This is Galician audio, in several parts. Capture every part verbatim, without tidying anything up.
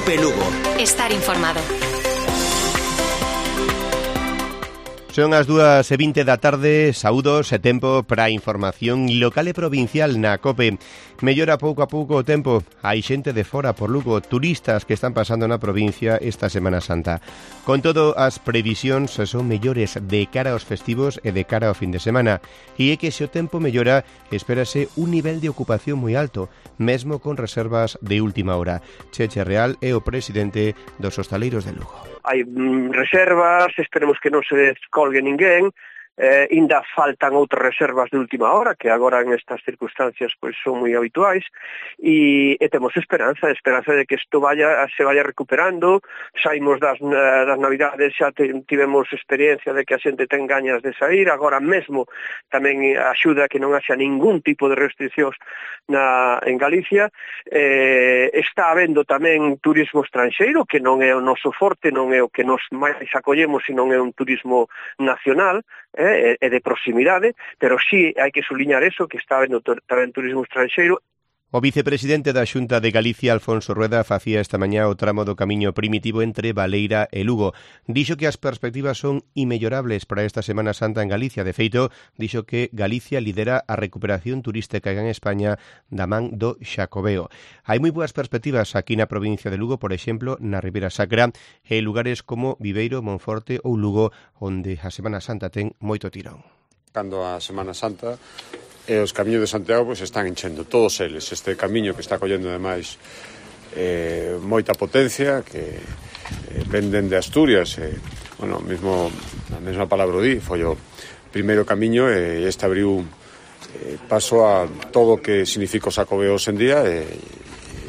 Cope Lugo. Estar informado. Son as dúas e vinte da tarde, saúdos e tempo para a información local e provincial na COPE. Mellora pouco a pouco o tempo, hai xente de fora por Lugo, turistas que están pasando na provincia esta Semana Santa. Con todo, as previsións son mellores de cara aos festivos e de cara ao fin de semana, e é que se o tempo mellora, espérase un nivel de ocupación moi alto, mesmo con reservas de última hora. Cheche Real é o presidente dos hostaleiros de Lugo. Hai mm, reservas, esperemos que non se descolgue ninguén, eh, ainda faltan outras reservas de última hora, que agora en estas circunstancias pois son moi habituais, e, e temos esperanza, esperanza de que isto vaya, se vaya recuperando. Saímos das, das Navidades, xa tivemos experiencia de que a xente ten gañas de sair, agora mesmo tamén axuda a que non haxa ningún tipo de restriccións na, en Galicia. Eh, está habendo tamén turismo estranxeiro, que non é o noso forte, non é o que nos máis acollemos, sino é un turismo nacional, eh, e de proximidade, pero sí hai que suliñar eso, que está habendo tamén turismo estranxeiro. O vicepresidente da Xunta de Galicia, Alfonso Rueda, facía esta mañá o tramo do camiño primitivo entre Baleira e Lugo. Dixo que as perspectivas son inmellorables para esta Semana Santa en Galicia. De feito, dixo que Galicia lidera a recuperación turística en España da man do Xacobeo. Hai moi boas perspectivas aquí na provincia de Lugo, por exemplo, na Ribeira Sacra, e lugares como Viveiro, Monforte ou Lugo, onde a Semana Santa ten moito tirón. Cando a Semana Santa e os camiños de Santiago pois, están enchendo, todos eles. Este camiño que está collendo ademais eh, moita potencia, que eh, venden de Asturias, eh, bueno, mesmo, a mesma palabra di, foi o primeiro camiño e este abriu eh, paso a todo o que significa o Xacobeo en día e,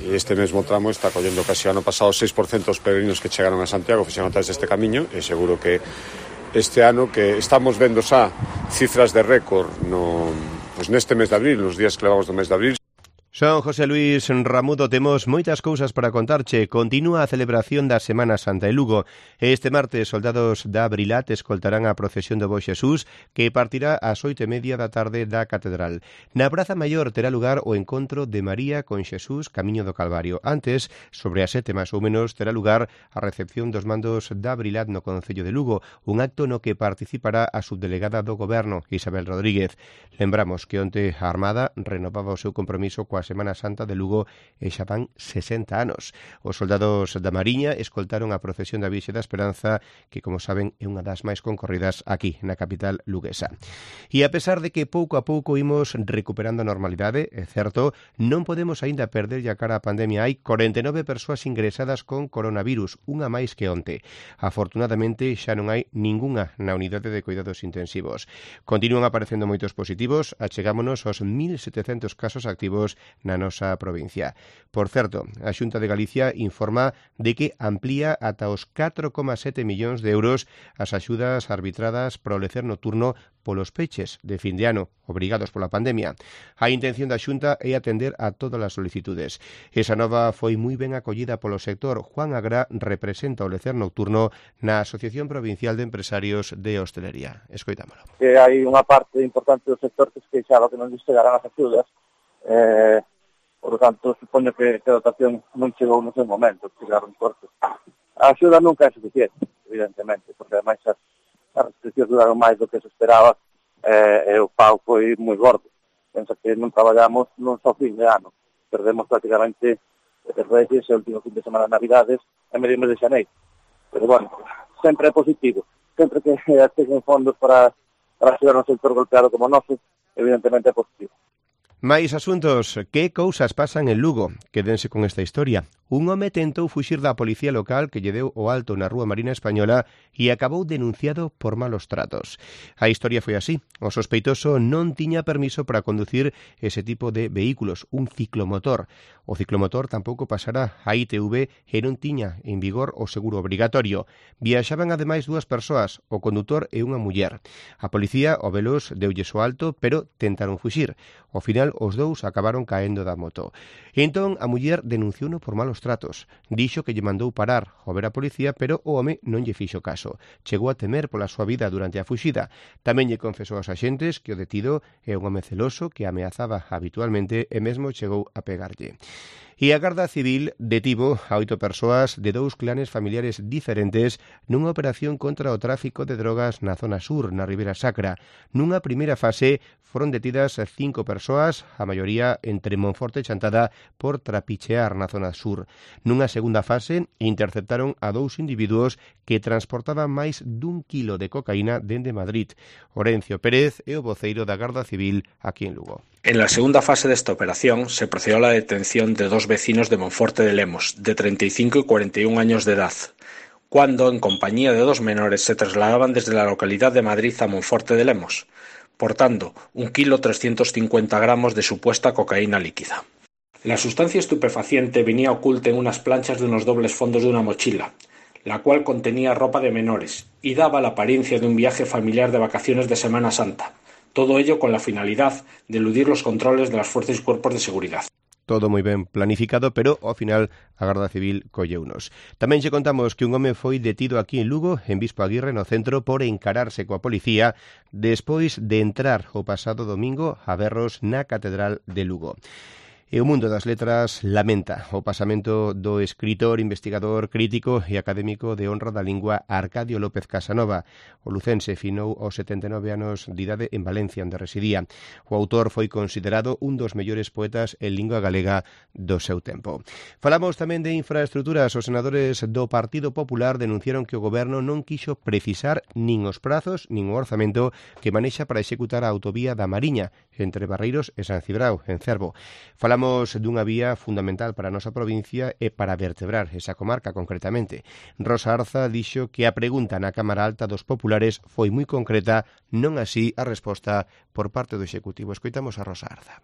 e este mesmo tramo está collendo casi ano pasado seis por cento dos peregrinos que chegaron a Santiago fixeron a través deste camiño e seguro que este ano que estamos vendo xa cifras de récord no, pues neste mes de abril, nos días que levamos do mes de abril. Son José Luis Ramudo, temos moitas cousas para contarche. Continúa a celebración da Semana Santa en Lugo. Este martes, soldados da Brilat escoltarán a procesión do Bo Xesús, que partirá ás oito e media da tarde da Catedral. Na Praza Maior terá lugar o encontro de María con Xesús camiño do Calvario. Antes, sobre as sete máis ou menos, terá lugar a recepción dos mandos da Brilat no Concello de Lugo, un acto no que participará a subdelegada do Goberno, Isabel Rodríguez. Lembramos que onte a Armada renovaba o seu compromiso coa Semana Santa de Lugo e xa van sesenta anos. Os soldados da Mariña escoltaron a procesión da Virxe da Esperanza, que, como saben, é unha das máis concorridas aquí, na capital luguesa. E a pesar de que pouco a pouco imos recuperando a normalidade, é certo, non podemos aínda perder a cara a pandemia. Hai corenta e nove persoas ingresadas con coronavirus, unha máis que onte. Afortunadamente, xa non hai ningunha na unidade de cuidados intensivos. Continúan aparecendo moitos positivos, achegámonos aos mil setecentos casos activos na nosa provincia. Por certo, a Xunta de Galicia informa de que amplía ata os catro coma sete millóns de euros as axudas arbitradas para o lecer nocturno polos peches de fin de ano, obrigados pola pandemia. A intención da Xunta é atender a todas as solicitudes. Esa nova foi moi ben acollida polo sector. Juan Agra representa o lecer nocturno na Asociación Provincial de Empresarios de Hostelería. Escoitámolo. Que hai unha parte importante do sector que se queixaba que non lles chegaran as axudas. Eh, por lo tanto, supoño que a dotación non chegou no seu momento, chegaron cortos. A axuda nunca é suficiente, evidentemente, porque ademais as, as restriccións duraron máis do que se esperaba eh, e o pago foi moi gordo. Pensa que non traballamos non só fin de ano, perdemos prácticamente os Reyes e o último fin de semana de Navidades e medio mes de xaneiro. Pero, bueno, sempre é positivo. Sempre que tengan fondos para, para axudar un sector golpeado como o noso, evidentemente é positivo. Máis asuntos. Que cousas pasan en Lugo? Quédense con esta historia. Un home tentou fuxir da policía local que lle deu o alto na Rúa Marina Española e acabou denunciado por malos tratos. A historia foi así. O sospeitoso non tiña permiso para conducir ese tipo de vehículos, un ciclomotor. O ciclomotor tampouco pasará a I T V e non tiña en vigor o seguro obrigatorio. Viaxaban ademais dúas persoas, o condutor e unha muller. A policía, o velos, deulles o alto, pero tentaron fuxir. Ao final, os dous acabaron caendo da moto. Entón, a muller denunciouno por malos tratos. Dixo que lle mandou parar ao ver a policía, pero o home non lle fixo caso. Chegou a temer pola súa vida durante a fuxida. Tamén lle confesou aos axentes que o detido é un home celoso que ameazaba habitualmente e mesmo chegou a pegarlle. E a Garda Civil detivo a oito persoas de dous clanes familiares diferentes nunha operación contra o tráfico de drogas na zona sur, na Ribeira Sacra. Nunha primeira fase foron detidas cinco persoas, a maioría entre Monforte e Chantada, por trapichear na zona sur. Nunha segunda fase interceptaron a dous individuos que transportaban máis dun quilo de cocaína dende Madrid. Orencio Pérez é o voceiro da Garda Civil aquí en Lugo. En la segunda fase de esta operación se procedió a la detención de dos vecinos de Monforte de Lemos, de treinta y cinco y cuarenta y un años de edad, cuando, en compañía de dos menores, se trasladaban desde la localidad de Madrid a Monforte de Lemos, portando un kilo trescientos cincuenta gramos de supuesta cocaína líquida. La sustancia estupefaciente venía oculta en unas planchas de unos dobles fondos de una mochila, la cual contenía ropa de menores y daba la apariencia de un viaje familiar de vacaciones de Semana Santa. Todo ello con la finalidad de eludir los controles de las fuerzas y cuerpos de seguridad. Todo moi ben planificado, pero ao final a Garda Civil colleunos. Tamén xe contamos que un home foi detido aquí en Lugo, en Bispo Aguirre, no centro, por encararse coa policía despois de entrar o pasado domingo a berros na Catedral de Lugo. E o mundo das letras lamenta o pasamento do escritor, investigador, crítico e académico de honra da lingua Arcadio López Casanova. O lucense finou aos setenta e nove anos de idade en Valencia, onde residía. O autor foi considerado un dos mellores poetas en lingua galega do seu tempo. Falamos tamén de infraestructuras. Os senadores do Partido Popular denunciaron que o goberno non quixo precisar nin os prazos nin o orzamento que manexa para executar a autovía da Mariña entre Barreiros e San Cibrao, en Cervo. Falamos Falamos dunha vía fundamental para a nosa provincia e para vertebrar esa comarca concretamente. Rosa Arza dixo que a pregunta na Cámara Alta dos Populares foi moi concreta, non así a resposta por parte do Executivo. Escoitamos a Rosa Arza.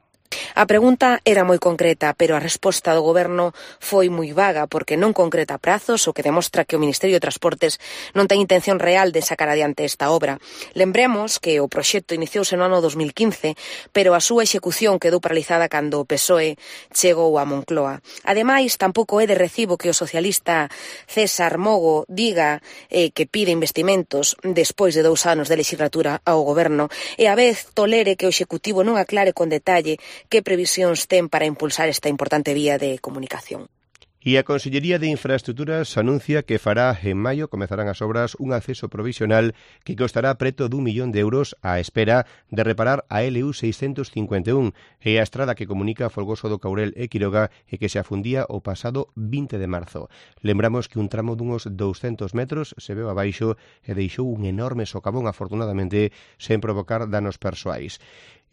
A pregunta era moi concreta, pero a resposta do Goberno foi moi vaga porque non concreta prazos, o que demostra que o Ministerio de Transportes non ten intención real de sacar adiante esta obra. Lembremos que o proxecto iniciouse no ano dos mil quince, pero a súa execución quedou paralizada cando o P S O E chegou a Moncloa. Ademais, tampouco é de recibo que o socialista César Mogo diga eh, que pide investimentos despois de dous anos de legislatura ao Goberno e a vez tolere que o Executivo non aclare con detalle que previsións ten para impulsar esta importante vía de comunicación. E a Consellería de Infraestructuras anuncia que fará en maio, comezarán as obras, un acceso provisional que costará preto dun millón de euros á espera de reparar a L U seiscentos cincuenta e un e a estrada que comunica Folgoso do Caurel e Quiroga e que se afundía o pasado vinte de marzo. Lembramos que un tramo dunhos douscentos metros se veu abaixo e deixou un enorme socavón, afortunadamente, sen provocar danos persoais.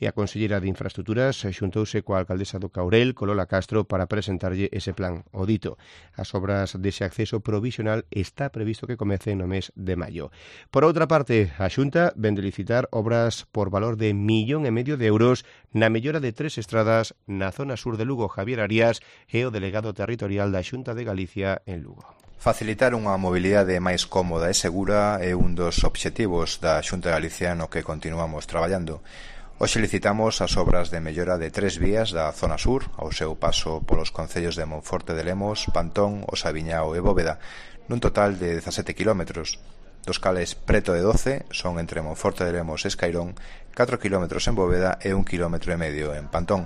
E a Conselleira de Infraestructuras xuntouse coa alcaldesa do Caurel, Colola Castro, para presentarlle ese plan. O dito, as obras dese acceso provisional está previsto que comece no mes de maio. Por outra parte, a Xunta ven de licitar obras por valor de millón e medio de euros na mellora de tres estradas na zona sur de Lugo. Javier Arias é o delegado territorial da Xunta de Galicia en Lugo. Facilitar unha mobilidade máis cómoda e segura é un dos obxectivos da Xunta de Galicia no que continuamos traballando. Hoxe licitamos as obras de mellora de tres vías da zona sur, ao seu paso polos concellos de Monforte de Lemos, Pantón, Osaviñao e Bóveda, nun total de dezasete kilómetros, dos cales preto de doce son entre Monforte de Lemos e Escairón, catro kilómetros en Bóveda e un kilómetro e medio en Pantón.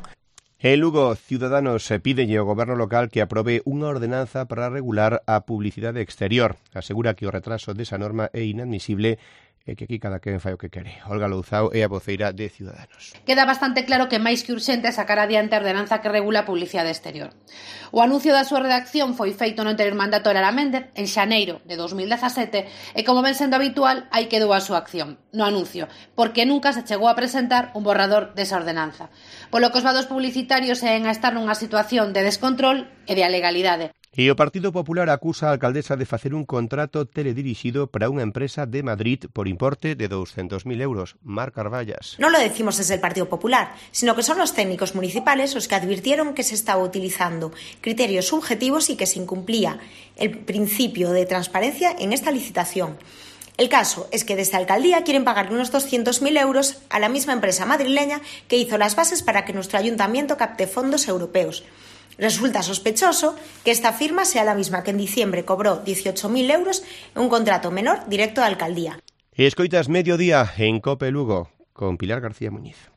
En Lugo, Ciudadanos pídelle ao goberno local que aprobe unha ordenanza para regular a publicidade exterior. Asegura que o retraso desa norma é inadmisible e que aquí cada quen fai o que quere. Olga Louzao é a voceira de Ciudadanos. Queda bastante claro que máis que urxente sacar adiante a ordenanza que regula a publicidade exterior. O anuncio da súa redacción foi feito no anterior mandato de Lara Méndez en xaneiro de dos mil dezasete e, como ven sendo habitual, aí quedou a súa acción no anuncio, porque nunca se chegou a presentar un borrador desa ordenanza. Polo que os vados publicitarios seguen a estar nunha situación de descontrol e de alegalidade. E o Partido Popular acusa a alcaldesa de facer un contrato teledirixido para unha empresa de Madrid por importe de doscientos mil euros. Mar Carballas. No lo decimos desde el Partido Popular, sino que son los técnicos municipales los que advirtieron que se estaba utilizando criterios subjetivos y que se incumplía el principio de transparencia en esta licitación. El caso es que desde la alcaldía quieren pagarle unos doscientos mil euros a la misma empresa madrileña que hizo las bases para que nuestro ayuntamiento capte fondos europeos. Resulta sospechoso que esta firma sea la misma que en diciembre cobró dieciocho mil euros en un contrato menor directo de alcaldía. Escoitas Mediodía en Cope Lugo con Pilar García Muñiz.